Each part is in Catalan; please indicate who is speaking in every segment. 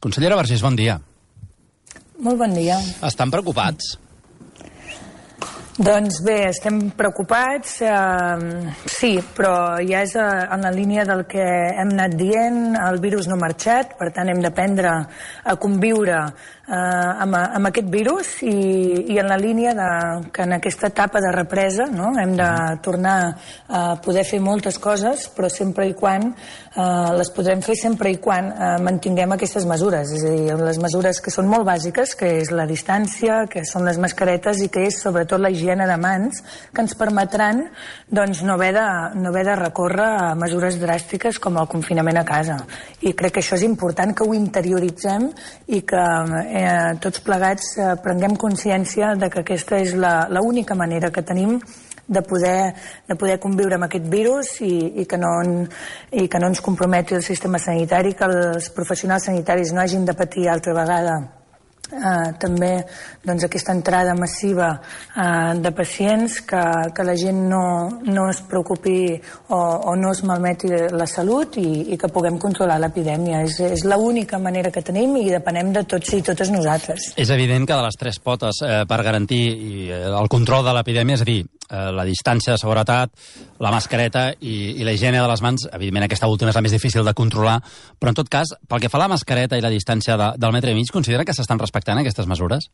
Speaker 1: Consellera Vergés, bon dia.
Speaker 2: Molt bon dia.
Speaker 1: Estan preocupats?
Speaker 2: Doncs bé, estem preocupats, sí, però ja és en la línia del que hem anat dient, el virus no ha marxat, per tant hem d'aprendre a conviure amb aquest virus i en la línia que en aquesta etapa de represa hem de tornar a poder fer moltes coses, però sempre i quan les podrem fer sempre i quan mantinguem aquestes mesures, és a dir, les mesures que són molt bàsiques, que és la distància, que són les mascaretes i que és sobretot la higiene de mans, que ens permetran no haver de recórrer a mesures dràstiques com el confinament a casa. I crec que això és important que ho interioritzem i que tots plegats prenguem consciència de que aquesta és l'única manera que tenim de poder conviure amb aquest virus i que no ens comprometi el sistema sanitari, que els professionals sanitaris no hagin de patir altra vegada també aquesta entrada massiva de pacients, que la gent no es preocupi o no es malmeti la salut i que puguem controlar l'epidèmia. És l'única manera que tenim i depenem de tots i totes nosaltres.
Speaker 1: És evident que de les tres potes per garantir el control de l'epidèmia, és a dir, la distància de seguretat, la mascareta i la higiene de les mans, evidentment aquesta última és la més difícil de controlar, però en tot cas, pel que fa a la mascareta i la distància del metre i mig, considera que s'estan respectant aquestes mesures?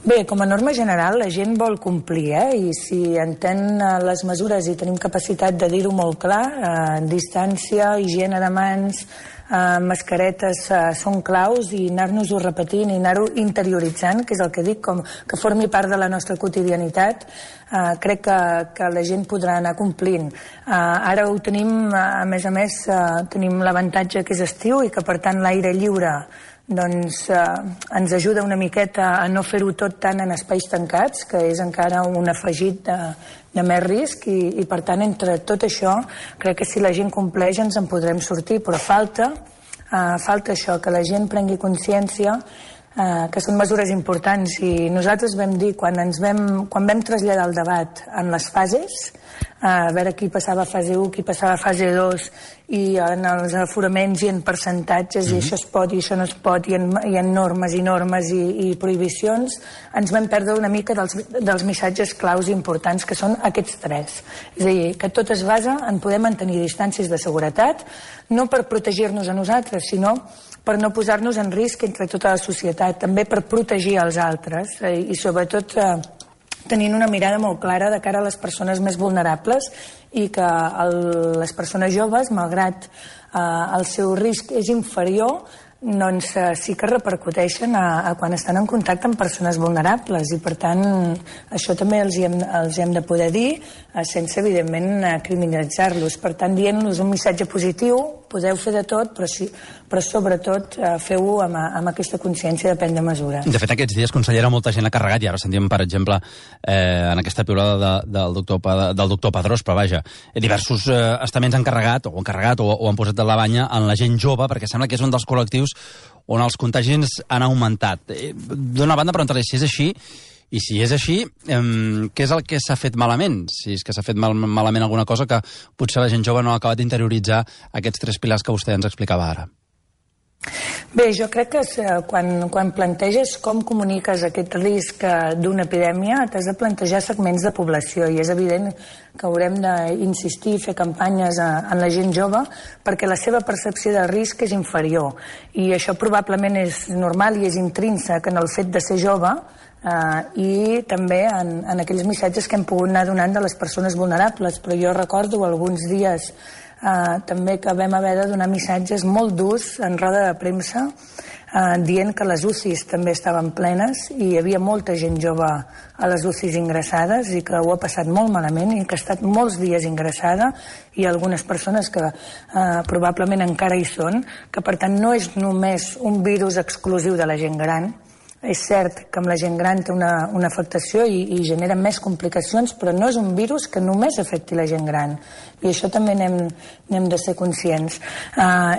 Speaker 2: Bé, com a norma general, la gent vol complir, i si entén les mesures i tenim capacitat de dir-ho molt clar, distància, higiene de mans, mascaretes són claus i anar-nos-ho repetint i anar-ho interioritzant, que és el que dic, com que formi part de la nostra quotidianitat, crec que la gent podrà anar complint. Ara ho tenim, a més, tenim l'avantatge que és estiu i que per tant l'aire lliure ens ajuda una miqueta a no fer-ho tot tant en espais tancats, que és encara un afegit de més risc i per tant entre tot això crec que si la gent compleix ens en podrem sortir, però falta això, que la gent prengui consciència que són mesures importants i nosaltres vam dir quan vam traslladar el debat en les fases, a veure qui passava a fase 1, qui passava a fase 2 i en els aforaments i en percentatges i això es pot i això no es pot i en normes i normes i prohibicions, ens vam perdre una mica dels missatges claus importants que són aquests tres. És a dir, que tot es basa en poder mantenir distàncies de seguretat, no per protegir-nos a nosaltres, sinó per no posar-nos en risc entre tota la societat, també per protegir els altres i sobretot tenint una mirada molt clara de cara a les persones més vulnerables i que les persones joves, malgrat el seu risc és inferior, doncs sí que repercuteixen a quan estan en contacte amb persones vulnerables i per tant això també els hem de poder dir sense evidentment criminalitzar-los, per tant dient-los un missatge positiu, podeu fer de tot però sobretot feu-ho amb aquesta consciència de prendre mesures.
Speaker 1: De fet aquests dies, consellera, molta gent ha carregat i ara sentim per exemple en aquesta piulada del doctor Padrós, però vaja, diversos estaments han carregat o han posat de la banya en la gent jove perquè sembla que és un dels col·lectius on els contagis han augmentat. D'una banda, preguntar-li si és així, i si és així, què és el que s'ha fet malament? Si és que s'ha fet malament alguna cosa que potser la gent jove no ha acabat d'interioritzar aquests tres pilars que vostè ens explicava ara.
Speaker 2: Bé, jo crec que quan planteges com comuniques aquest risc d'una epidèmia, t'has de plantejar segments de població i és evident que haurem d'insistir i fer campanyes en la gent jove perquè la seva percepció de risc és inferior i això probablement és normal i és intrínsec en el fet de ser jove i també en aquells missatges que hem pogut anar donant de les persones vulnerables, però jo recordo alguns dies també que vam haver de donar missatges molt durs en roda de premsa dient que les UCIs també estaven plenes i hi havia molta gent jove a les UCIs ingressades i que ho ha passat molt malament i que ha estat molts dies ingressada i algunes persones que probablement encara hi són, que per tant no és només un virus exclusiu de la gent gran, És cert que amb la gent gran té una afectació i genera més complicacions, però no és un virus que només afecti la gent gran. I això també n'hem de ser conscients.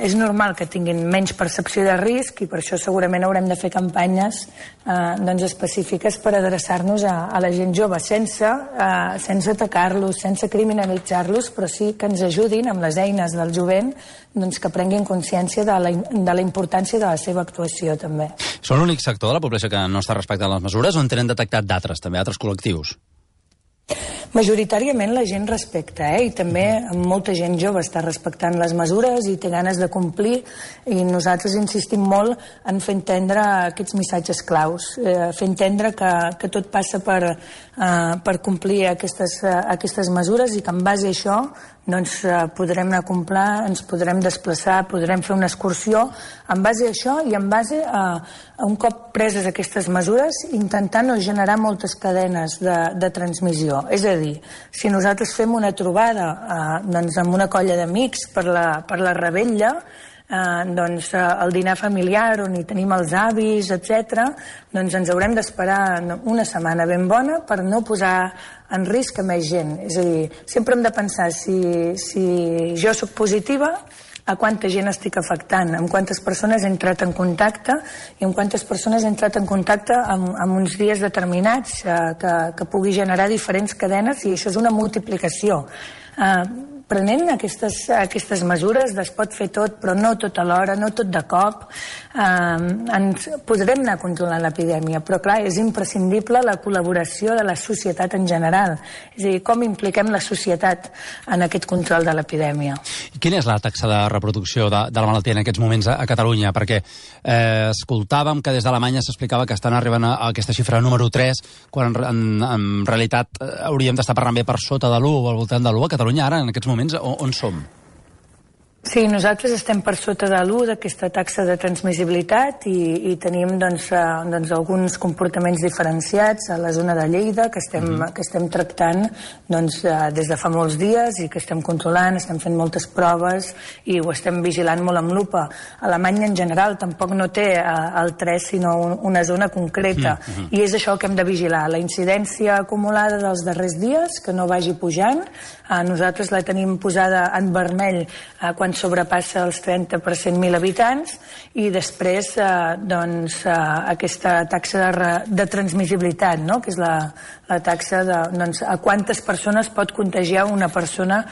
Speaker 2: És normal que tinguin menys percepció de risc i per això segurament haurem de fer campanyes específiques per adreçar-nos a la gent jove, sense atacar-los, sense criminalitzar-los, però sí que ens ajudin amb les eines del jovent que prenguin consciència de la importància de la seva actuació, també.
Speaker 1: Són l'únic sector de la població que no està respectant les mesures o en tenen detectat d'altres, també, altres col·lectius?
Speaker 2: Majoritàriament la gent respecta, i també molta gent jove està respectant les mesures i té ganes de complir, i nosaltres insistim molt en fer entendre aquests missatges claus, fer entendre que tot passa per complir aquestes mesures i que en base a això podrem anar a comprar, ens podrem desplaçar, podrem fer una excursió en base a això i en base a un cop preses aquestes mesures intentar no generar moltes cadenes de transmissió. És a dir, si nosaltres fem una trobada amb una colla d'amics per la revetlla, el dinar familiar on hi tenim els avis, etc., ens haurem d'esperar una setmana ben bona per no posar en risc a més gent. És a dir, sempre hem de pensar si jo sóc positiva, a quanta gent estic afectant, amb quantes persones he entrat en contacte i amb quantes persones he entrat en contacte en uns dies determinats que pugui generar diferents cadenes, i això és una multiplicació. Prenent aquestes mesures es pot fer tot, però no tot alhora, no tot de cop. Ens podrem anar controlant l'epidèmia, però clar, és imprescindible la col·laboració de la societat en general. És a dir, com impliquem la societat en aquest control de l'epidèmia.
Speaker 1: Quina és la taxa de reproducció de la malaltia en aquests moments a Catalunya? Perquè escoltàvem que des d'Alemanya s'explicava que estan arribant a aquesta xifra número 3, quan en realitat hauríem d'estar parlant bé per sota de l'1 o al voltant de l'1. A Catalunya ara, en aquests moments, on som?
Speaker 2: Sí, nosaltres estem per sota de l'1 d'aquesta taxa de transmissibilitat i tenim alguns comportaments diferenciats a la zona de Lleida que estem tractant des de fa molts dies i que estem controlant, estem fent moltes proves i ho estem vigilant molt amb lupa. Alemanya en general tampoc no té el 3 sinó una zona concreta i és això el que hem de vigilar, la incidència acumulada dels darrers dies, que no vagi pujant. Nosaltres la tenim posada en vermell quan sobrepassa els 30 per 100.000 habitants i després aquesta taxa de transmissibilitat, que és la taxa a quantes persones pot contagiar una persona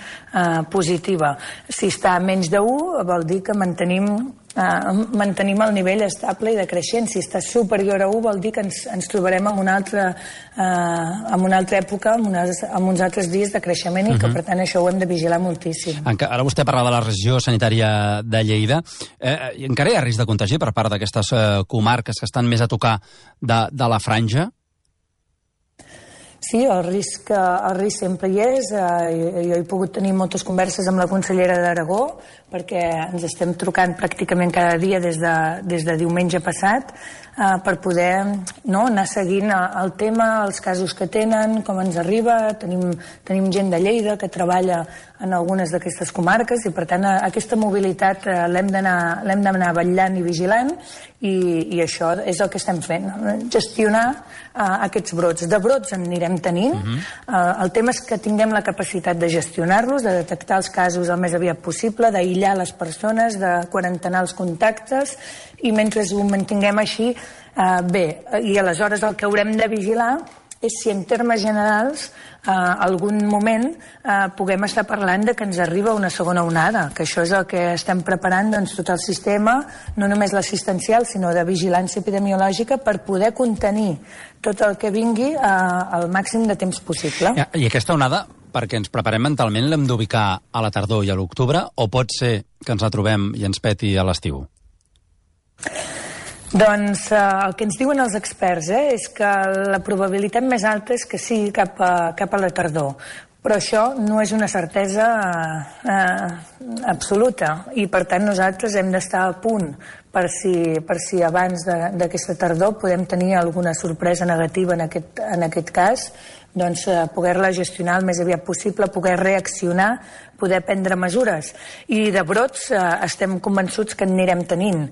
Speaker 2: positiva. Si està a menys de 1 vol dir que mantenim el nivell estable i decreixent. Si està superior a 1 vol dir que ens trobarem en una altra època, en uns altres dies de creixement i que per tant això ho hem de vigilar moltíssim.
Speaker 1: Ara vostè parla de la regió sanitària de Lleida. Encara hi ha risc de contagi per part d'aquestes comarques que estan més a tocar de la franja?
Speaker 2: Sí, el risc sempre hi és. Jo he pogut tenir moltes converses amb la consellera d'Aragó perquè ens estem trucant pràcticament cada dia des de diumenge passat per poder anar seguint el tema, els casos que tenen, com ens arriba. Tenim gent de Lleida que treballa en algunes d'aquestes comarques i per tant aquesta mobilitat l'hem d'anar vetllant i vigilant i això és el que estem fent, gestionar aquests brots. De brots en anirem tenint. El tema és que tinguem la capacitat de gestionar-los, de detectar els casos el més aviat possible, d'aïllar les persones, de quarantenar els contactes i mentre ho mantinguem així, bé, i aleshores el que haurem de vigilar és si en termes generals algun moment puguem estar parlant de que ens arriba una segona onada, que això és el que estem preparant tot el sistema, no només l'assistencial, sinó de vigilància epidemiològica per poder contenir tot el que vingui al màxim de temps possible.
Speaker 1: I aquesta onada, perquè ens preparem mentalment, l'hem d'ubicar a la tardor i a l'octubre, o pot ser que ens la trobem i ens peti a l'estiu?
Speaker 2: Doncs el que ens diuen els experts és que la probabilitat més alta és que sigui cap a la tardor. Però això no és una certesa absoluta i per tant nosaltres hem d'estar a punt per si abans d'aquesta tardor podem tenir alguna sorpresa negativa en aquest cas, poder-la gestionar el més aviat possible, poder reaccionar, poder prendre mesures. I de brots estem convençuts que en anirem tenint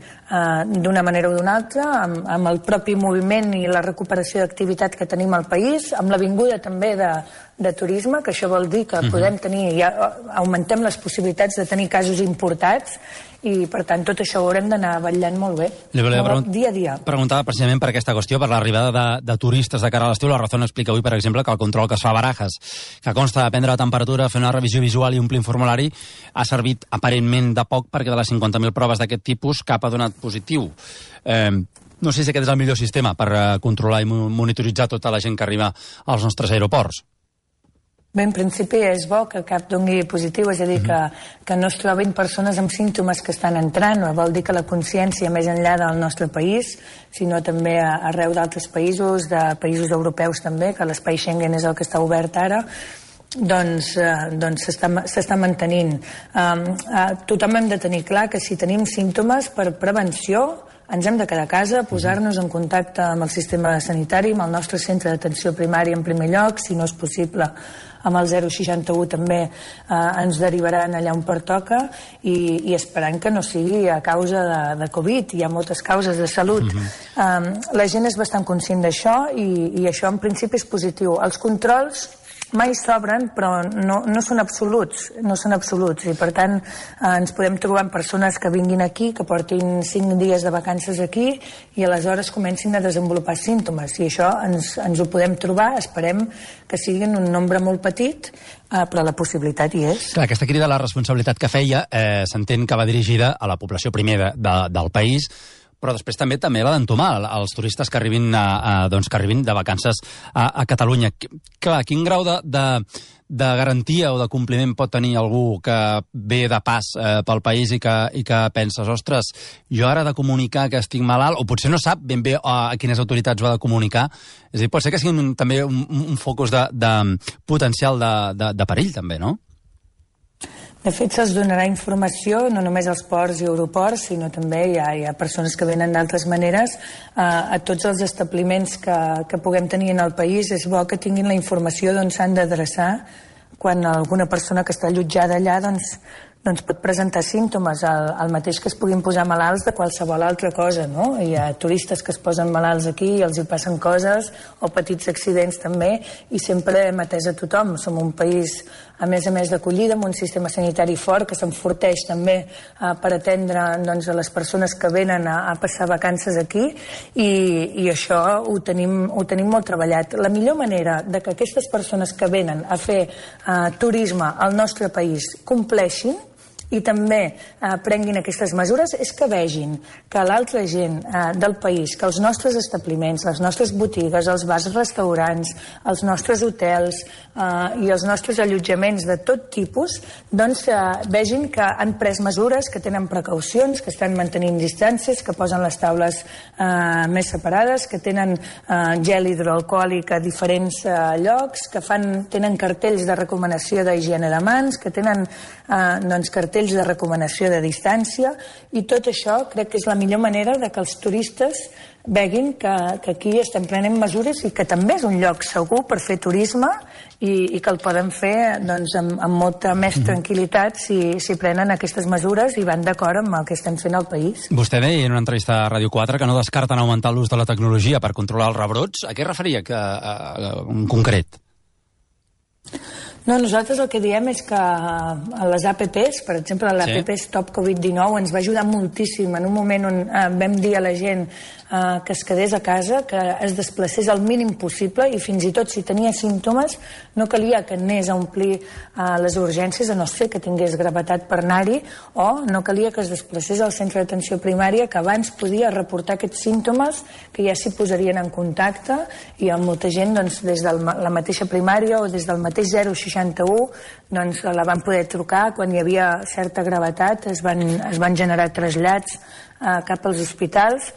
Speaker 2: d'una manera o d'una altra, amb el propi moviment i la recuperació d'activitat que tenim al país, amb la vinguda també de turisme, que això vol dir que podem tenir, ja augmentem les possibilitats de tenir casos importats, i per tant tot això ho haurem d'anar vetllant molt bé, dia a dia.
Speaker 1: Preguntava precisament per aquesta qüestió, per l'arribada de turistes de cara a l'estiu. La Razón explica avui, per exemple, que el control que es fa a Barajas, que consta de prendre la temperatura, fer una revisió visual i omplir un formulari, ha servit aparentment de poc perquè de les 50.000 proves d'aquest tipus cap ha donat positiu. No sé si aquest és el millor sistema per controlar i monitoritzar tota la gent que arriba als nostres aeroports.
Speaker 2: Bé, en principi és bo que cap doni positiu, és a dir, que no es trobin persones amb símptomes que estan entrant, vol dir que la consciència més enllà del nostre país, sinó també arreu d'altres països, de països europeus també, que l'espai Schengen és el que està obert ara, doncs s'està mantenint. Tothom hem de tenir clar que si tenim símptomes, per prevenció ens hem de quedar a casa, posar-nos en contacte amb el sistema sanitari, amb el nostre centre d'atenció primària en primer lloc, si no és possible amb el 061 també ens derivaran allà on pertoca, i esperant que no sigui a causa de Covid. Hi ha moltes causes de salut. La gent és bastant conscient d'això, i això en principi és positiu. Els controls mai s'obren, però no són absoluts, i per tant ens podem trobar amb persones que vinguin aquí, que portin 5 dies de vacances aquí, i aleshores comencin a desenvolupar símptomes, i això ens ho podem trobar. Esperem que siguin un nombre molt petit, però la possibilitat hi és.
Speaker 1: Clar, aquesta crida a la responsabilitat que feia s'entén que va dirigida a la població primer del país, però després també la d'entomar els turistes que arribin de vacances a Catalunya. Clar, quin grau de garantia o de compliment pot tenir algú que ve de pas pel país i que penses, ostres, jo ara he de comunicar que estic malalt, o potser no sap ben bé a quines autoritats ho ha de comunicar? És a dir, pot ser que sigui també un focus de potencial de perill, també, no?
Speaker 2: De fet, se'ls donarà informació no només als ports i aeroports, sinó també hi ha persones que venen d'altres maneres a tots els establiments que puguem tenir en el país. És bo que tinguin la informació d'on s'han d'adreçar quan alguna persona que està allotjada allà doncs pot presentar símptomes, el mateix que es puguin posar malalts de qualsevol altra cosa, no? Hi ha turistes que es posen malalts aquí i els hi passen coses, o petits accidents també, i sempre hem atès a tothom. Som un país, a més d'acollida, amb un sistema sanitari fort que s'enforteix també per atendre a les persones que venen a passar vacances aquí, i això ho tenim molt treballat. La millor manera de que aquestes persones que venen a fer turisme al nostre país compleixin i també prenguin aquestes mesures és que vegin que l'altra gent del país, que els nostres establiments, les nostres botigues, els bars, restaurants, els nostres hotels i els nostres allotjaments de tot tipus, doncs vegin que han pres mesures, que tenen precaucions, que estan mantenint distàncies, que posen les taules més separades, que tenen gel hidroalcohòlic a diferents llocs, que tenen cartells de recomanació d'higiene de mans, que tenen cartells de recomanació de distància, i tot això crec que és la millor manera de que els turistes veguin que aquí estem prenent mesures i que també és un lloc segur per fer turisme i que el poden fer amb molta més tranquil·litat si prenen aquestes mesures i van d'acord amb el que estem fent al país.
Speaker 1: Vostè deia en una entrevista a Ràdio 4 que no descarten augmentar l'ús de la tecnologia per controlar els rebrots. A què es referia en concret?
Speaker 2: No, nosaltres el que diem és que a les APPs, per exemple, l'APP Stop Covid-19 ens va ajudar moltíssim en un moment on vam dir a la gent que es quedés a casa, que es desplacés el mínim possible, i fins i tot si tenia símptomes no calia que anés a omplir les urgències, a no ser que tingués gravetat per anar-hi, o no calia que es desplacés al centre d'atenció primària, que abans podia reportar aquests símptomes, que ja s'hi posarien en contacte, i amb molta gent des de la mateixa primària o des del mateix 061 la van poder trucar quan hi havia certa gravetat, es van generar trasllats cap als hospitals.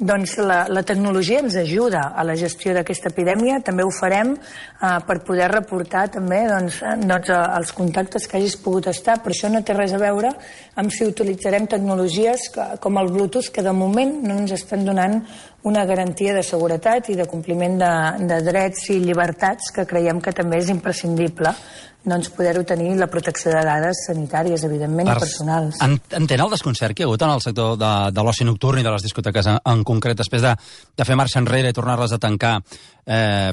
Speaker 2: Doncs la tecnologia ens ajuda a la gestió d'aquesta epidèmia. També ho farem per poder reportar també els contactes que hagis pogut estar, però això no té res a veure amb si utilitzarem tecnologies com el Bluetooth, que de moment no ens estan donant una garantia de seguretat i de compliment de drets i llibertats que creiem que també és imprescindible poder-ho tenir, la protecció de dades sanitàries, evidentment, i personals.
Speaker 1: Entén el desconcert que hi ha hagut en el sector de l'oci nocturn i de les discoteques en concret, després de fer marxa enrere i tornar-les a tancar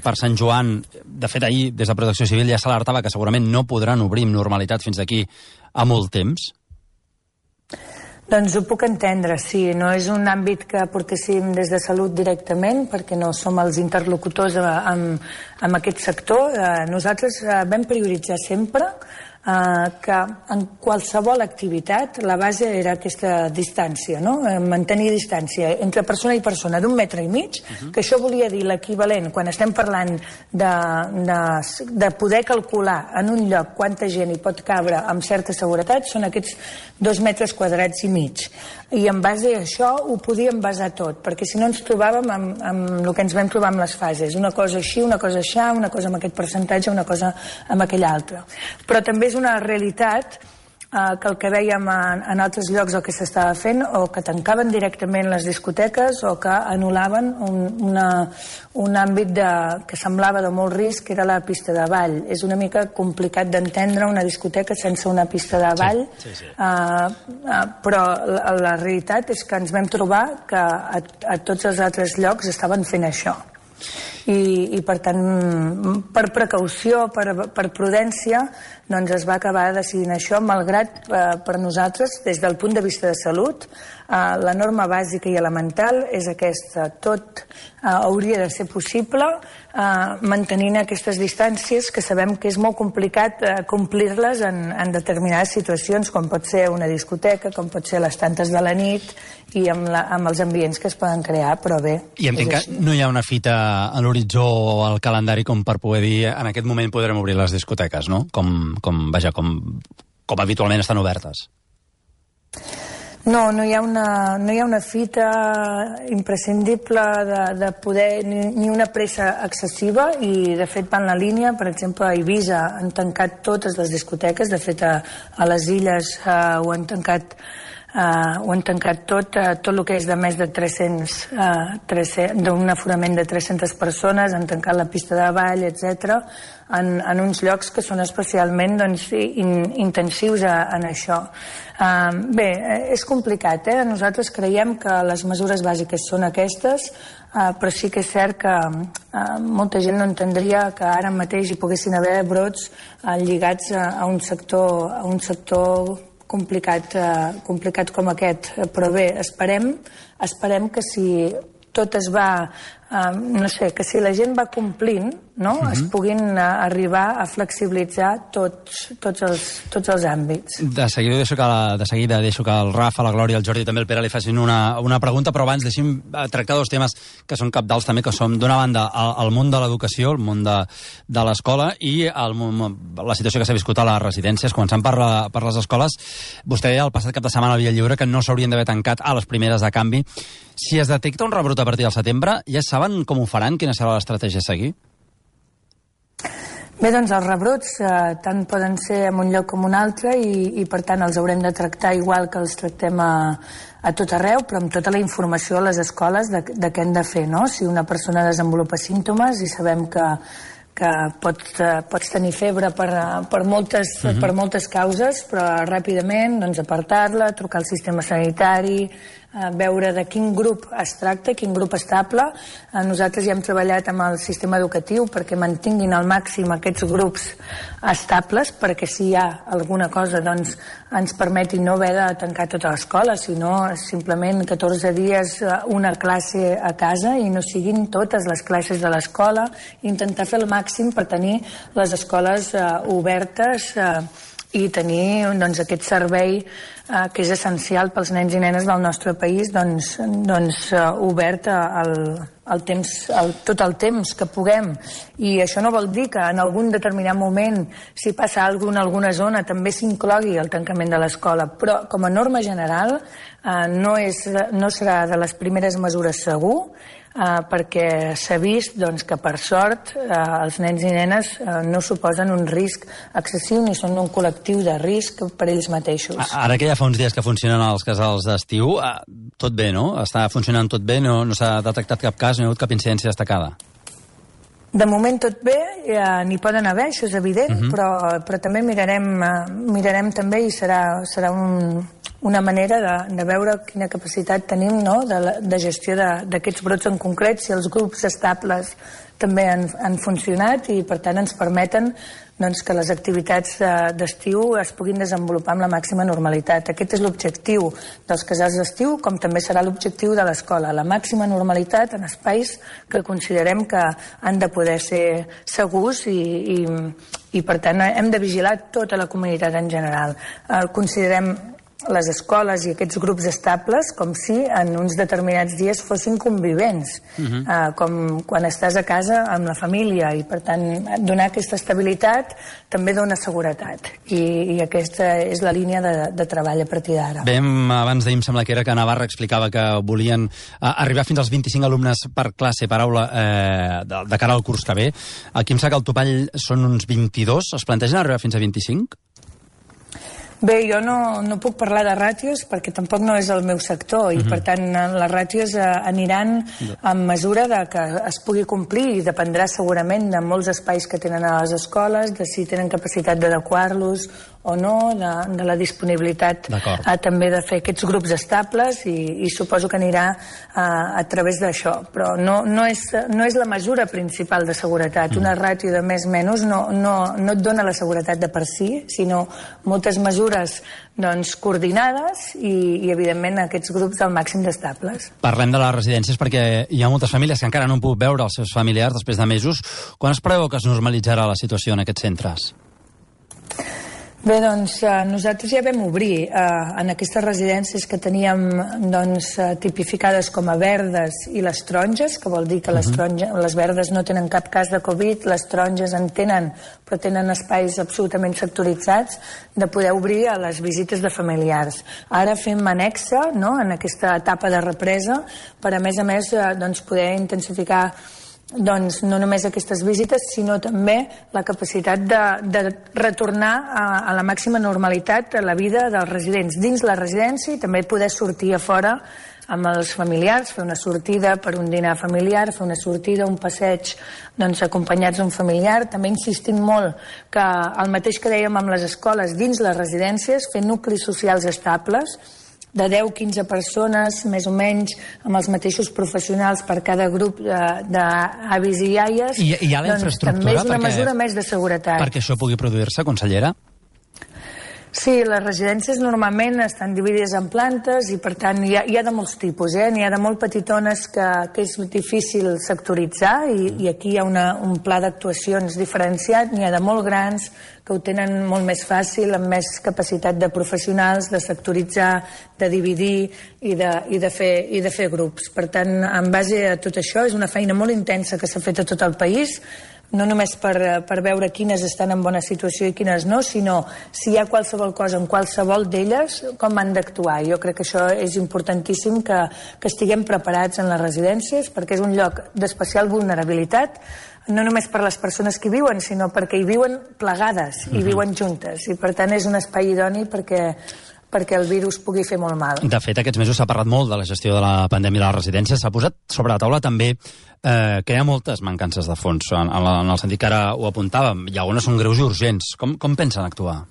Speaker 1: per Sant Joan? De fet, ahir, des de Protecció Civil, ja s'alertava que segurament no podran obrir amb normalitat fins d'aquí a molt temps.
Speaker 2: Doncs ho puc entendre, sí. No és un àmbit que portéssim des de Salut directament, perquè no som els interlocutors amb aquest sector. Nosaltres vam prioritzar sempre que en qualsevol activitat la base era aquesta distància, no? Mantenir distància entre persona i persona d'1,5 metres, que això volia dir l'equivalent, quan estem parlant de poder calcular en un lloc quanta gent hi pot cabre amb certa seguretat, són aquests 2,5 metres. I en base a això ho podíem basar tot, perquè si no ens trobàvem amb el que ens vam trobar amb les fases, una cosa així, una cosa aixà, una cosa amb aquest percentatge, una cosa amb aquell altre. Però també és una realitat que el que vèiem en altres llocs el que s'estava fent, o que tancaven directament les discoteques o que anul·laven un àmbit que semblava de molt risc, que era la pista de ball. És una mica complicat d'entendre una discoteca sense una pista de ball, però la realitat és que ens vam trobar que a tots els altres llocs estaven fent això. I per tant, per precaució, per prudència, doncs es va acabar decidint això, malgrat per nosaltres, des del punt de vista de salut, la norma bàsica i elemental és aquesta. Tot hauria de ser possible mantenint aquestes distàncies, que sabem que és molt complicat complir-les en determinades situacions, com pot ser una discoteca, com pot ser les tantes de la nit i amb els ambients que es poden crear, però bé.
Speaker 1: I entenc que no hi ha una fita a l'horitzó o al calendari com per poder dir en aquest moment podrem obrir les discoteques, no? Com habitualment estan obertes.
Speaker 2: No hi ha una fita imprescindible de poder, ni una pressa excessiva, i de fet va en la línia. Per exemple, a Eivissa han tancat totes les discoteques, de fet a les Illes ho han tancat tot el que és de més de 300, d'un aforament de 300 persones, han tancat la pista de ball, etc., en uns llocs que són especialment intensius en això. Bé, és complicat, Nosaltres creiem que les mesures bàsiques són aquestes, però sí que és cert que molta gent no entendria que ara mateix hi poguessin haver brots lligats a un sector complicat com aquest. Però bé, esperem que si tot es va, que si la gent va complint, es puguin arribar a flexibilitzar tots els àmbits.
Speaker 1: De seguida deixo que el Rafa, la Glòria, el Jordi i també el Pere li facin una pregunta, però abans deixem tractar dos temes que són cabdals també, que són d'una banda el món de l'educació, el món de l'escola, i la situació que s'ha viscut a les residències. Començant per les escoles, vostè deia el passat cap de setmana al Via Lliure que no s'haurien d'haver tancat a les primeres de canvi. Si es detecta un rebrot a partir del setembre, ja saben com ho faran? Quina serà l'estratègia a seguir?
Speaker 2: Bé, doncs els rebrots tant poden ser en un lloc com un altre i per tant els haurem de tractar igual que els tractem a tot arreu, però amb tota la informació a les escoles de què hem de fer, no? Si una persona desenvolupa símptomes i sabem que pots tenir febre per moltes causes, però ràpidament apartar-la, trucar al sistema sanitari, veure de quin grup es tracta, quin grup estable. Nosaltres ja hem treballat amb el sistema educatiu perquè mantinguin al màxim aquests grups estables, perquè si hi ha alguna cosa ens permeti no haver de tancar tota l'escola, sinó simplement 14 dies una classe a casa i no siguin totes les classes de l'escola, intentar fer el màxim per tenir les escoles obertes i tenir aquest servei que és essencial pels nens i nenes del nostre país obert tot el temps que puguem. I això no vol dir que en algun determinat moment, si passa alguna cosa en alguna zona, també s'inclogui el tancament de l'escola, però com a norma general no serà de les primeres mesures segur, perquè s'ha vist que per sort els nens i nenes no suposen un risc excessiu ni són un col·lectiu de risc per ells mateixos.
Speaker 1: Ara que ja fa uns dies que funcionen els casals d'estiu. Tot bé, no? Està funcionant tot bé, no s'ha detectat cap cas, no hi ha hagut cap incidència destacada.
Speaker 2: De moment tot bé, n'hi poden haver, això és evident, però també mirarem també i serà una manera de veure quina capacitat tenim, no?, de gestió d'aquests brots en concret, si els grups estables també han funcionat i per tant ens permeten que les activitats d'estiu es puguin desenvolupar amb la màxima normalitat. Aquest és l'objectiu dels casals d'estiu, com també serà l'objectiu de l'escola, la màxima normalitat en espais que considerem que han de poder ser segurs i per tant hem de vigilar tota la comunitat en general. Considerem les escoles i aquests grups estables com si en uns determinats dies fossin convivents, com quan estàs a casa amb la família, i per tant donar aquesta estabilitat també dona seguretat, i aquesta és la línia de treball a partir d'ara.
Speaker 1: Bé, abans d'ahir em sembla que era que Navarra explicava que volien arribar fins als 25 alumnes per classe, per aula, de cara al curs que ve. Aquí em sembla que el topall són uns 22. Es plantegen arribar fins a 25?
Speaker 2: Bé, jo no puc parlar de ràtios perquè tampoc no és el meu sector i per tant les ràtios aniran en mesura de que es pugui complir i dependrà segurament de molts espais que tenen a les escoles, de si tenen capacitat d'adequar-los o no, de la disponibilitat també de fer aquests grups estables i suposo que anirà a través d'això, però no és la mesura principal de seguretat. Una ràtio de més o menys no et dona la seguretat de per si, sinó moltes mesures coordinades i evidentment aquests grups al màxim d'estables.
Speaker 1: Parlem de les residències perquè hi ha moltes famílies que encara no han pogut veure els seus familiars després de mesos. Quan es preveu que es normalitzarà la situació en aquests centres?
Speaker 2: Bé, doncs nosaltres ja vam obrir en aquestes residències que teníem tipificades com a verdes i les taronges, que vol dir que les verdes no tenen cap cas de Covid, les taronges en tenen, però tenen espais absolutament sectoritzats, de poder obrir a les visites de familiars. Ara fem anexa, no?, en aquesta etapa de represa, per a més poder intensificar no només aquestes visites, sinó també la capacitat de retornar a la màxima normalitat a la vida dels residents dins la residència i també poder sortir a fora amb els familiars, fer una sortida per un dinar familiar, fer una sortida, un passeig acompanyats d'un familiar, també insistint molt que el mateix que dèiem amb les escoles, dins les residències, fer nuclis socials estables, de 10-15 persones, més o menys, amb els mateixos professionals per cada grup d'avis i iaies.
Speaker 1: I hi ha la infraestructura
Speaker 2: també és una mesura més de seguretat.
Speaker 1: Perquè això pugui produir-se, consellera?
Speaker 2: Sí, les residències normalment estan dividides en plantes i per tant hi ha de molts tipus, n'hi ha de molt petitones que és difícil sectoritzar i aquí hi ha un pla d'actuacions diferenciat, n'hi ha de molt grans que ho tenen molt més fàcil, amb més capacitat de professionals, de sectoritzar, de dividir i de fer grups. Per tant, en base a tot això, és una feina molt intensa que s'ha fet a tot el país, no només per veure quines estan en bona situació i quines no, sinó si hi ha qualsevol cosa en qualsevol d'elles, com han d'actuar. Jo crec que això és importantíssim, que estiguem preparats en les residències, perquè és un lloc d'especial vulnerabilitat, no només per les persones que hi viuen, sinó perquè hi viuen plegades, hi viuen juntes, i per tant és un espai idoni perquè el virus pugui fer molt mal.
Speaker 1: De fet, aquests mesos s'ha parlat molt de la gestió de la pandèmia de les residències. S'ha posat sobre la taula també que hi ha moltes mancances de fons, en el sentit que ara ho apuntàvem, i algunes són greus i urgents. Com pensen actuar?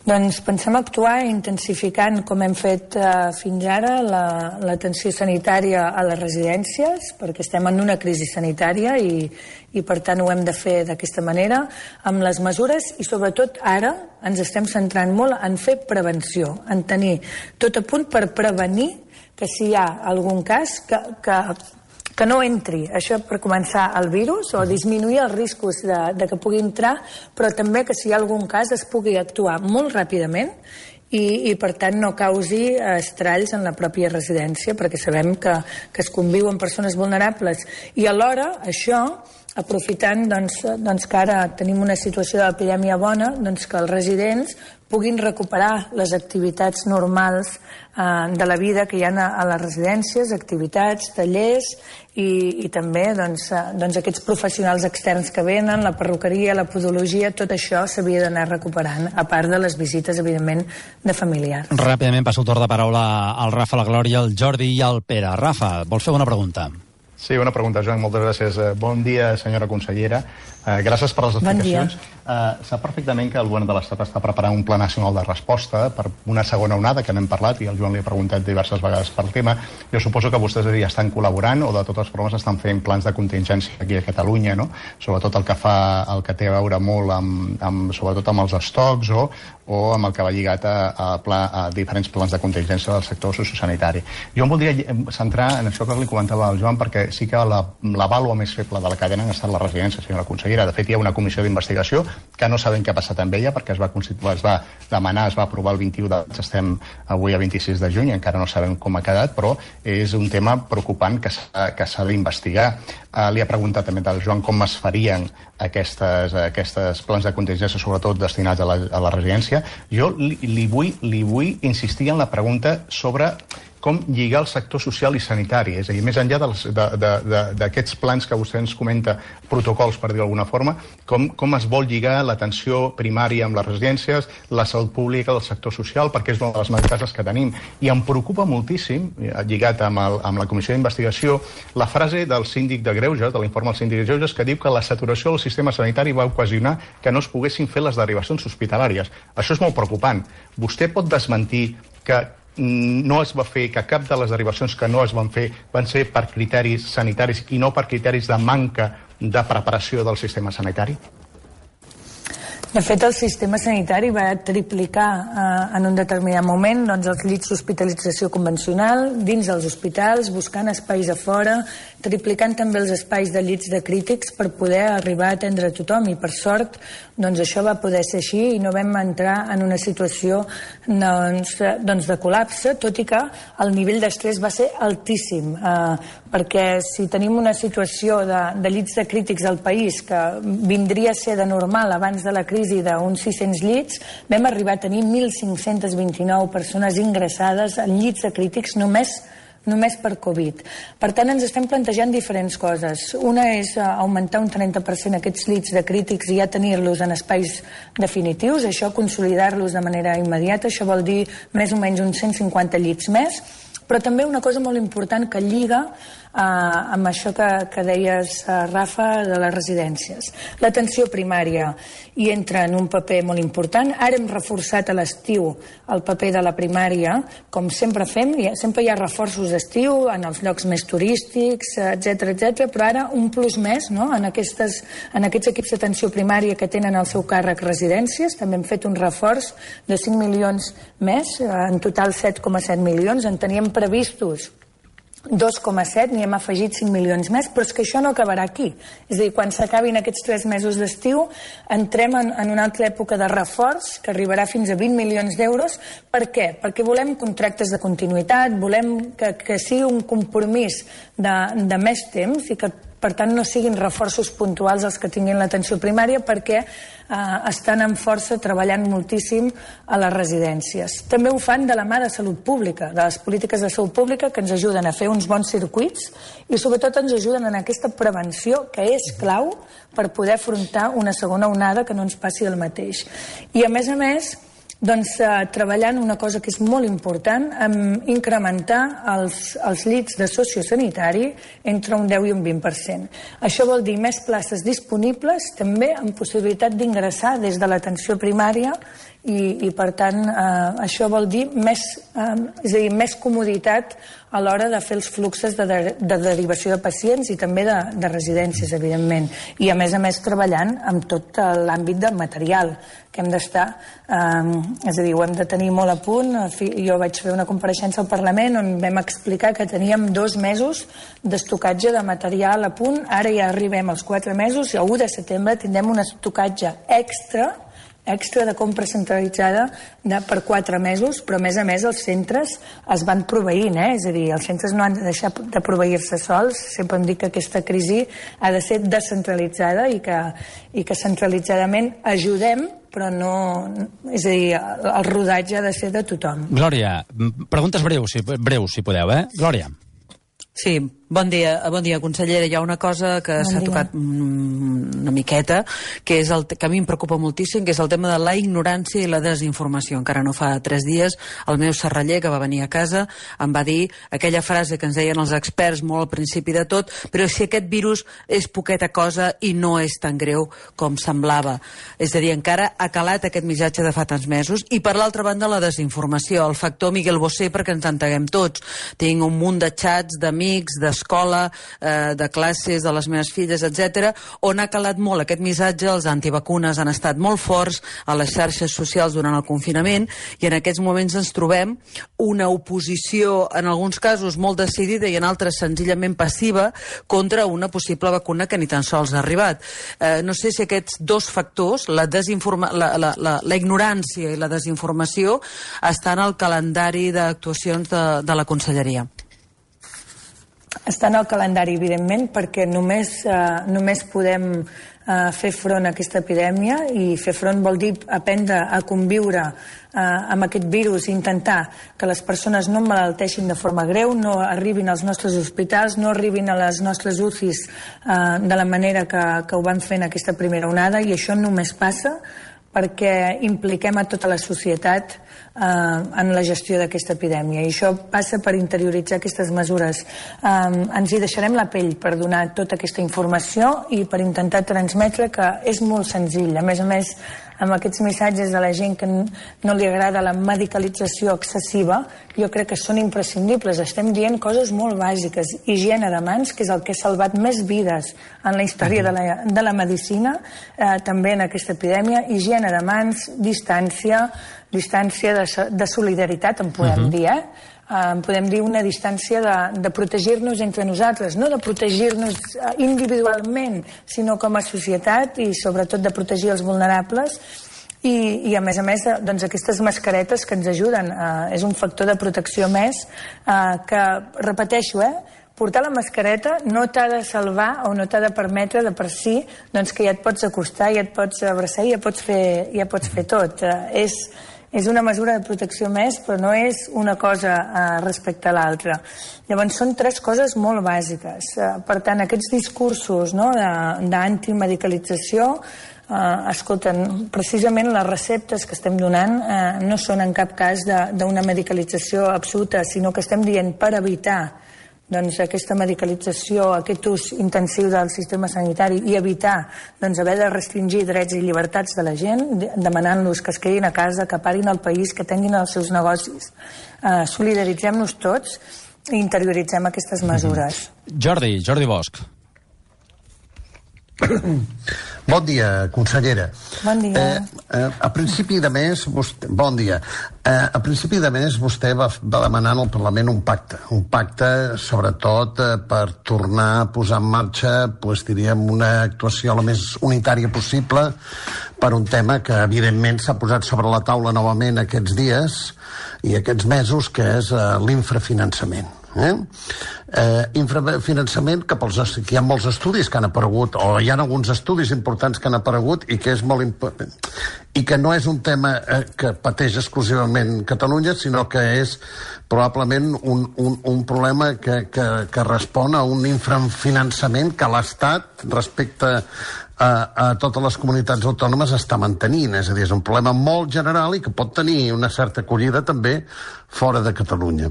Speaker 2: Doncs pensem actuar intensificant, com hem fet fins ara, l'atenció sanitària a les residències, perquè estem en una crisi sanitària i per tant ho hem de fer d'aquesta manera, amb les mesures, i sobretot ara ens estem centrant molt en fer prevenció, en tenir tot a punt per prevenir que si hi ha algun cas que no entri, això per començar, el virus, o disminuir els riscos de que pugui entrar, però també que si hi ha algun cas es pugui actuar molt ràpidament i per tant no causi estralls en la pròpia residència, perquè sabem que es conviu amb persones vulnerables. I alhora, això, aprofitant que ara tenim una situació d'epidèmia bona, que els residents puguin recuperar les activitats normals de la vida que hi ha a les residències, activitats, tallers i també aquests professionals externs que venen, la perruqueria, la podologia, tot això s'havia d'anar recuperant, a part de les visites, evidentment, de familiars.
Speaker 1: Ràpidament passo el torn de paraula al Rafa, la Glòria, el Jordi i el Pere. Rafa, vols fer una pregunta?
Speaker 3: Sí, una pregunta, Joan, moltes gràcies. Bon dia, senyora consellera. Gràcies per les explicacions. Sap perfectament que el govern de l'Estat està preparant un pla nacional de resposta per una segona onada, que n'hem parlat, i el Joan li ha preguntat diverses vegades pel tema. Jo suposo que vostès ja estan col·laborant o de totes formes estan fent plans de contingència aquí a Catalunya, no? Sobretot el que té a veure molt sobretot amb els estocs o amb el que va lligat a diferents plans de contingència del sector sociosanitari. Jo em voldria centrar en això que li comentava al Joan, perquè sí que la vàlua més feble de la cadena han estat les residències, senyora consellera. De fet, hi ha una comissió d'investigació que no sabem què ha passat amb ella, perquè es va demanar, es va aprovar el 21 de maig, estem avui a 26 de juny, encara no sabem com ha quedat, però és un tema preocupant que s'ha d'investigar. Li ha preguntat també al Joan com es farien aquests plans de contingència, sobretot destinats a la residència. Jo li vull insistir en la pregunta sobre com lligar el sector social i sanitari, és a dir, més enllà d'aquests plans que vostè ens comenta, protocols, per dir-ho d'alguna forma, com es vol lligar l'atenció primària amb les residències, la salut pública, el sector social, perquè és una de les mancances que tenim. I em preocupa moltíssim, lligat amb la comissió d'investigació, la frase del síndic de Greuges, de l'informe del síndic de Greuges, que diu que la saturació del sistema sanitari va ocasionar que no es poguessin fer les derivacions hospitalàries. Això és molt preocupant. Vostè pot desmentir que no es va fer, que cap de les derivacions que no es van fer van ser per criteris sanitaris i no per criteris de manca de preparació del sistema sanitari?
Speaker 2: De fet, el sistema sanitari va triplicar en un determinat moment els llits d'hospitalització convencional dins els hospitals, buscant espais a fora, triplicant també els espais de llits de crítics per poder arribar a atendre a tothom, i per sort això va poder ser així i no vam entrar en una situació de col·lapse, tot i que el nivell d'estrès va ser altíssim, perquè si tenim una situació de llits de crítics al país que vindria a ser de normal abans de la crisi d'uns 600 llits, vam arribar a tenir 1.529 persones ingressades en llits de crítics només per Covid. Per tant, ens estem plantejant diferents coses. Una és augmentar un 30% aquests llits de crítics i ja tenir-los en espais definitius, això consolidar-los de manera immediata, això vol dir més o menys uns 150 llits més, però també una cosa molt important que lliga amb això que deies, Rafa, de les residències. L'atenció primària hi entra en un paper molt important. Ara hem reforçat a l'estiu el paper de la primària, com sempre fem, sempre hi ha reforços d'estiu en els llocs més turístics, etc, però ara un plus més, no? En aquests equips d'atenció primària que tenen al seu càrrec residències, també hem fet un reforç de 5 milions més, en total 7,7 milions, en teníem previstos 2,7, n'hi hem afegit 5 milions més, però és que això no acabarà aquí. És a dir, quan s'acabin aquests 3 mesos d'estiu, entrem en una altra època de reforç que arribarà fins a 20 milions d'euros. Per què? Perquè volem contractes de continuïtat, volem que sigui un compromís de més temps i que, per tant, no siguin reforços puntuals els que tinguin l'atenció primària, perquè estan amb força treballant moltíssim a les residències. També ho fan de la mà de salut pública, de les polítiques de salut pública, que ens ajuden a fer uns bons circuits i sobretot ens ajuden en aquesta prevenció que és clau per poder afrontar una segona onada que no ens passi el mateix. I a més, treballant una cosa que és molt important, en incrementar els llits de sociosanitari entre un 10 i un 20%. Això vol dir més places disponibles, també amb possibilitat d'ingressar des de l'atenció primària i per tant, això vol dir més comoditat a l'hora de fer els fluxos de derivació de pacients i també de residències, evidentment. I a més treballant amb tot l'àmbit del material que hem d'estar, és a dir, ho hem de tenir molt a punt. Jo vaig fer una compareixença al Parlament on vam explicar que teníem 2 mesos d'estocatge de material a punt, ara ja arribem als 4 mesos i a 1 de setembre tindrem un estocatge extra extra de compra centralitzada per 4 mesos, però a més els centres es van proveint, és a dir, els centres no han de deixar de proveir-se sols. Sempre em dic que aquesta crisi ha de ser descentralitzada i que centralitzadament ajudem, però no... És a dir, el rodatge ha de ser de tothom.
Speaker 1: Glòria, preguntes breus, si podeu, Glòria.
Speaker 4: Sí, bon dia, consellera. Hi ha una cosa que s'ha tocat una miqueta, que és el que a mi em preocupa moltíssim, que és el tema de la ignorància i la desinformació. Encara no fa 3 dies, el meu serraller, que va venir a casa, em va dir aquella frase que ens deien els experts molt al principi de tot, però si aquest virus és poqueta cosa i no és tan greu com semblava. És a dir, encara ha calat aquest missatge de fa tants mesos. I per l'altra banda, la desinformació, el factor Miguel Bosé, perquè ens entenguem tots. Tinc un munt de xats d'amics, d'escola, de classes, de les meves filles, etc., on ha calat molt aquest missatge. Els antivacunes han estat molt forts a les xarxes socials durant el confinament i en aquests moments ens trobem una oposició, en alguns casos molt decidida i en altres senzillament passiva, contra una possible vacuna que ni tan sols ha arribat. No sé si aquests dos factors, la ignorància i la desinformació, estan al calendari d'actuacions de la Conselleria.
Speaker 2: Està en el calendari, evidentment, perquè només podem fer front a aquesta epidèmia, i fer front vol dir aprendre a conviure amb aquest virus i intentar que les persones no emmalalteixin de forma greu, no arribin als nostres hospitals, no arribin a les nostres UCIs de la manera que ho van fer en aquesta primera onada, i això només passa perquè impliquem a tota la societat en la gestió d'aquesta epidèmia, i això passa per interioritzar aquestes mesures. Ens hi deixarem la pell per donar tota aquesta informació i per intentar transmetre que és molt senzill. A més, amb aquests missatges de la gent que no li agrada la medicalització excessiva, jo crec que són imprescindibles. Estem dient coses molt bàsiques. Higiene de mans, que és el que ha salvat més vides en la història de la medicina, també en aquesta epidèmia. Higiene de mans, distància de solidaritat, en podem dir, podem dir una distància de protegir-nos entre nosaltres, no de protegir-nos individualment, sinó com a societat, i sobretot de protegir els vulnerables. I a més, doncs aquestes mascaretes que ens ajuden, és un factor de protecció més que, repeteixo, portar la mascareta no t'ha de salvar o no t'ha de permetre de per si doncs que ja et pots acostar, ja et pots abraçar i ja pots fer tot. És una mesura de protecció més, però no és una cosa respecte a l'altra. Llavors, són 3 coses molt bàsiques. Per tant, aquests discursos d'antimedicalització, escolten, precisament les receptes que estem donant no són en cap cas d'una medicalització absoluta, sinó que estem dient per evitar aquesta medicalització, aquest ús intensiu del sistema sanitari i evitar haver de restringir drets i llibertats de la gent, demanant-los que es quedin a casa, que parin el país, que tinguin els seus negocis. Solidaritzem-nos tots i interioritzem aquestes mesures.
Speaker 1: Jordi Bosch.
Speaker 5: Bon dia, consellera.
Speaker 2: Bon dia.
Speaker 5: A principi de mes, bon dia. A principi de mes vostè va demanar al Parlament un pacte sobretot per tornar a posar en marxa, diríem, una actuació la més unitària possible per un tema que evidentment s'ha posat sobre la taula novament aquests dies i aquests mesos, que és l'infrafinançament. Infrafinançament que hi ha molts estudis que han aparegut, o hi ha alguns estudis importants que han aparegut, i que és molt important, i que no és un tema que pateix exclusivament Catalunya, sinó que és probablement un problema que respon a un infrafinançament que l'Estat respecte a totes les comunitats autònomes està mantenint. És a dir, és un problema molt general i que pot tenir una certa acollida també fora de Catalunya.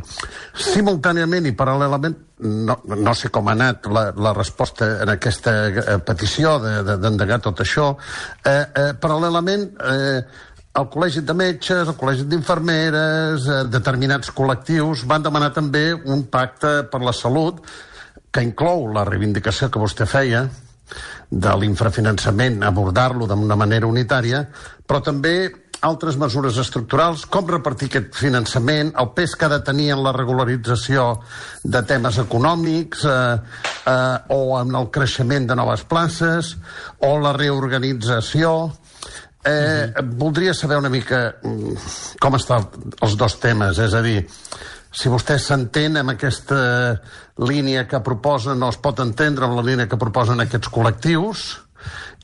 Speaker 5: Simultàniament i paral·lelament, no sé com ha anat la resposta en aquesta petició d'endegar tot això, paral·lelament el Col·legi de Metges, el Col·legi d'Infermeres, determinats col·lectius van demanar també un pacte per la salut que inclou la reivindicació que vostè feia de l'infrafinançament, abordar-lo d'una manera unitària, però també altres mesures estructurals, com repartir aquest finançament, el pes que ha de tenir en la regularització de temes econòmics o en el creixement de noves places, o la reorganització, Voldria saber una mica com estan els dos temes, és a dir, si vostè s'entén amb aquesta línia que proposen, o es pot entendre amb la línia que proposen aquests col·lectius,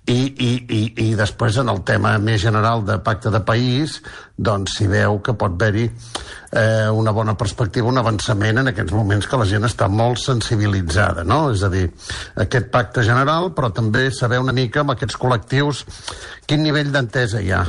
Speaker 5: i després en el tema més general de pacte de país, doncs si veu que pot haver-hi una bona perspectiva, un avançament en aquests moments que la gent està molt sensibilitzada, no? És a dir, aquest pacte general, però també saber una mica amb aquests col·lectius quin nivell d'entesa hi ha.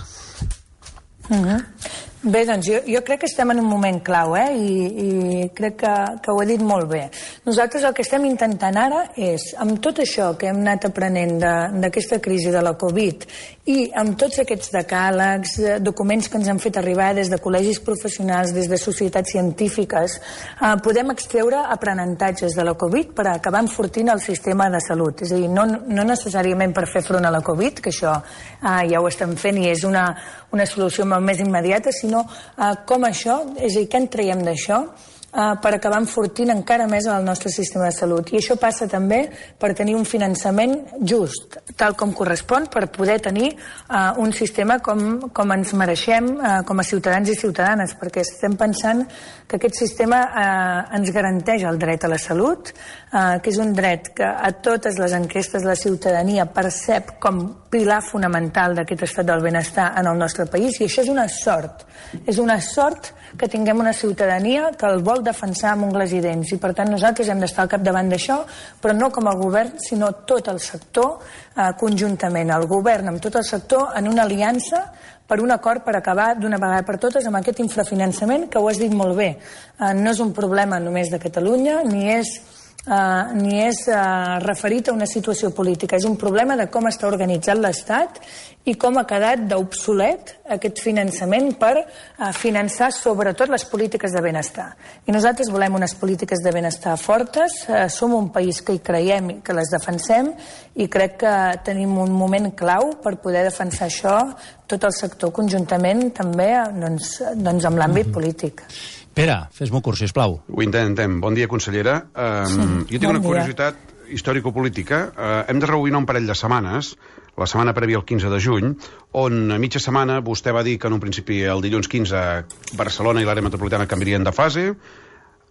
Speaker 2: Bé, doncs jo crec que estem en un moment clau, i crec que ho he dit molt bé. Nosaltres el que estem intentant ara és, amb tot això que hem anat aprenent d'aquesta crisi de la Covid i amb tots aquests decàlegs, documents que ens han fet arribar des de col·legis professionals, des de societats científiques, podem extreure aprenentatges de la Covid per acabar enfortint el sistema de salut. És a dir, no necessàriament per fer front a la Covid, que això ja ho estem fent i és una solució molt més immediata, sinó com això, és a dir, què en traiem d'això per acabar enfortint encara més el nostre sistema de salut. I això passa també per tenir un finançament just, tal com correspon, per poder tenir un sistema com ens mereixem com a ciutadans i ciutadanes, perquè estem pensant que aquest sistema ens garanteix el dret a la salut, que és un dret que a totes les enquestes la ciutadania percep com pilar fonamental d'aquest estat del benestar en el nostre país, i això és una sort. És una sort que tinguem una ciutadania que el vol defensar amb ungles i dents, i per tant nosaltres hem d'estar al capdavant d'això, però no com a govern, sinó tot el sector conjuntament, el govern amb tot el sector en una aliança per un acord per acabar d'una vegada per totes amb aquest infrafinançament, que ho has dit molt bé. No és un problema només de Catalunya, ni és referit a una situació política, és un problema de com està organitzat l'Estat i com ha quedat d'obsolet aquest finançament per finançar sobretot les polítiques de benestar. I nosaltres volem unes polítiques de benestar fortes, som un país que hi creiem i que les defensem, i crec que tenim un moment clau per poder defensar això, tot el sector conjuntament també doncs amb l'àmbit polític.
Speaker 1: Pere, fes-m'ho curt, sisplau.
Speaker 6: Ho intentem. Bon dia, consellera. Jo tinc una curiositat històrico-política. Hem de rebobinar un parell de setmanes, la setmana prèvia al 15 de juny, on a mitja setmana vostè va dir que en un principi el dilluns 15 Barcelona i l'àrea metropolitana canviarien de fase,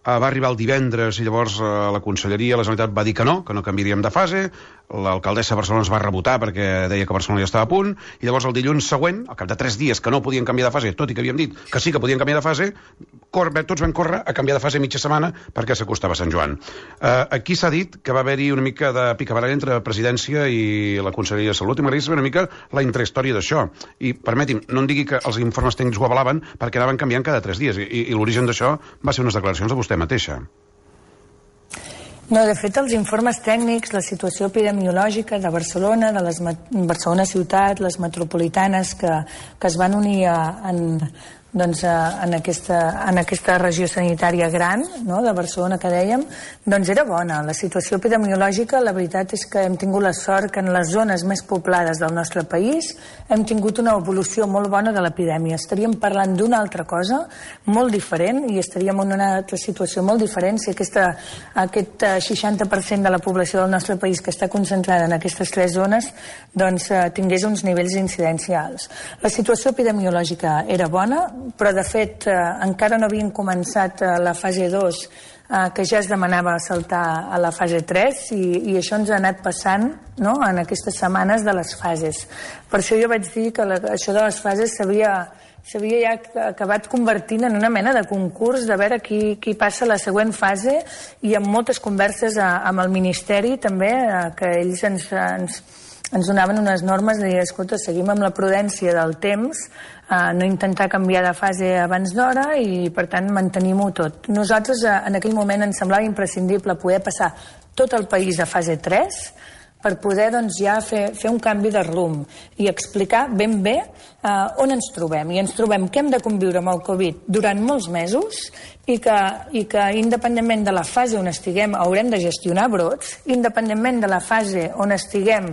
Speaker 6: va arribar el divendres i llavors la Conselleria, la Generalitat va dir que no canviaríem de fase, l'alcaldessa de Barcelona es va rebotar perquè deia que Barcelona ja estava a punt, i llavors el dilluns següent, al cap de 3 dies que no podien canviar de fase, tot i que havíem dit que sí que podien canviar de fase, tots vam córrer a canviar de fase mitja setmana perquè s'acostava Sant Joan. Aquí s'ha dit que va haver-hi una mica de picabaralla entre Presidència i la Conselleria de Salut, i m'agradaria saber una mica la intrahistòria d'això. I permeti'm, no em digui que els informes tècnics ho avalaven perquè anaven canviant cada 3 dies, i l'origen d'això va ser unes declaracions de vostè mateixa.
Speaker 2: No, de fet, els informes tècnics, la situació epidemiològica de Barcelona, de Barcelona ciutat, les metropolitanes que es van unir en aquesta regió sanitària gran, no?, de Barcelona, que dèiem, doncs era bona. La situació epidemiològica, la veritat és que hem tingut la sort que en les zones més poblades del nostre país hem tingut una evolució molt bona de l'epidèmia. Estaríem parlant d'una altra cosa molt diferent i estaríem en una altra situació molt diferent si aquest 60% de la població del nostre país que està concentrada en aquestes 3 zones doncs tingués uns nivells d'incidència alts. La situació epidemiològica era bona, però de fet encara no havien començat la fase 2, que ja es demanava saltar a la fase 3, i això ens ha anat passant, no?, en aquestes setmanes de les fases. Per això jo vaig dir que això de les fases s'havia ja acabat convertint en una mena de concurs de veure qui passa a la següent fase, i amb moltes converses amb el Ministeri també, que ells ens donaven unes normes de dir, escolta, seguim amb la prudència del temps, no intentar canviar de fase abans d'hora, i per tant mantenim-ho tot. Nosaltres en aquell moment ens semblava imprescindible poder passar tot el país a fase 3 per poder doncs ja fer un canvi de rumb i explicar ben bé on ens trobem. I ens trobem que hem de conviure amb el Covid durant molts mesos i que independentment de la fase on estiguem haurem de gestionar brots, independentment de la fase on estiguem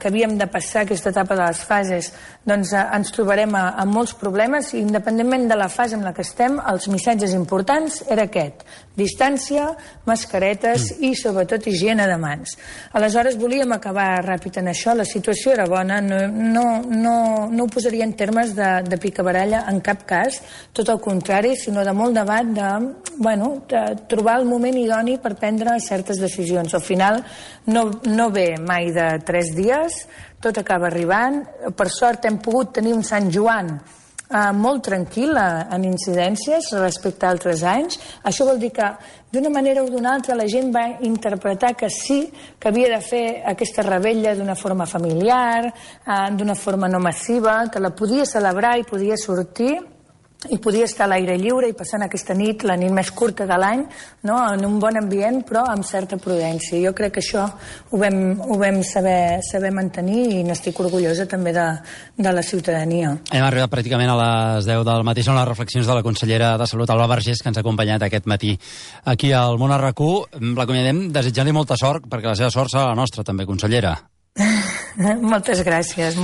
Speaker 2: que havíem de passar aquesta etapa de les fases, doncs ens trobarem amb molts problemes, i independentment de la fase en la que estem, els missatges importants era aquest: Distància, mascaretes i, sobretot, higiene de mans. Aleshores, volíem acabar ràpid en això. La situació era bona, no ho posaria en termes de picabaralla en cap cas, tot el contrari, sinó de molt debat de trobar el moment idoni per prendre certes decisions. Al final, no ve mai de 3 dies, tot acaba arribant. Per sort hem pogut tenir un Sant Joan molt tranquil en incidències respecte a altres anys. Això vol dir que d'una manera o d'una altra la gent va interpretar que sí, que havia de fer aquesta revetlla d'una forma familiar, d'una forma no massiva, que la podia celebrar i podia sortir i podia estar a l'aire lliure i passant aquesta nit, la nit més curta de l'any, en un bon ambient, però amb certa prudència. Jo crec que això ho vam saber mantenir i n'estic orgullosa també de la ciutadania.
Speaker 1: Hem arribat pràcticament a les 10 del matí. Són les reflexions de la consellera de Salut, Alba Vergés, que ens ha acompanyat aquest matí aquí al Món a RAC1. L'acomiadem desitjant-li molta sort, perquè la seva sort serà la nostra, també, consellera.
Speaker 2: Moltes gràcies.